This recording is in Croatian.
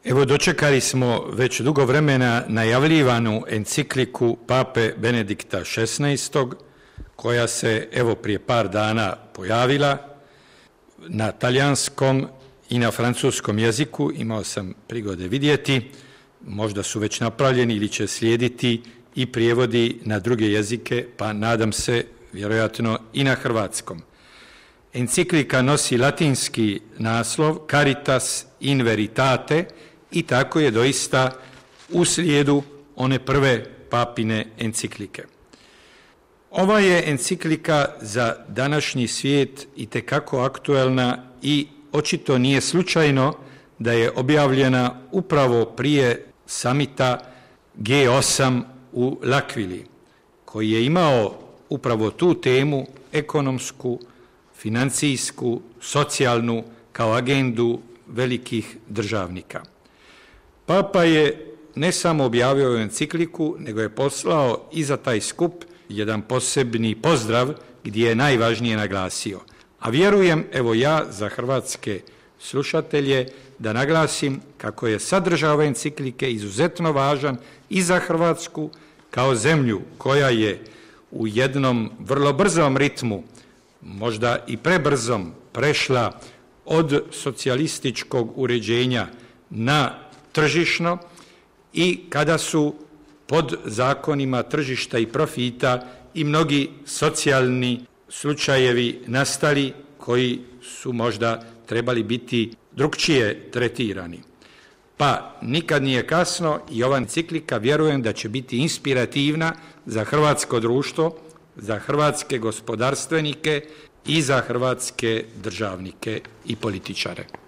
Evo, dočekali smo već dugo vremena najavljivanu encikliku pape Benedikta XVI, koja se evo prije par dana pojavila na talijanskom i na francuskom jeziku. Imao sam prigode vidjeti, možda su već napravljeni ili će slijediti i prijevodi na druge jezike, pa nadam se vjerojatno i na hrvatskom. Enciklika nosi latinski naslov Caritas in veritate i tako je doista u slijedu one prve papine enciklike. Ova je enciklika za današnji svijet itekako aktuelna i očito nije slučajno da je objavljena upravo prije samita G8 u L'Aquili, koji je imao upravo tu temu ekonomsku, financijsku, socijalnu kao agendu velikih državnika. Papa je ne samo objavio encikliku, nego je poslao i za taj skup jedan posebni pozdrav gdje je najvažnije naglasio. A vjerujem, evo ja za hrvatske slušatelje, da naglasim kako je sadržaj ove enciklike izuzetno važan i za Hrvatsku kao zemlju koja je u jednom vrlo brzom ritmu, možda i prebrzom, prešla od socijalističkog uređenja na tržišno i kada su pod zakonima tržišta i profita i mnogi socijalni slučajevi nastali koji su možda trebali biti drukčije tretirani. Pa nikad nije kasno i ova enciklika vjerujem da će biti inspirativna za hrvatsko društvo, za hrvatske gospodarstvenike i za hrvatske državnike i političare.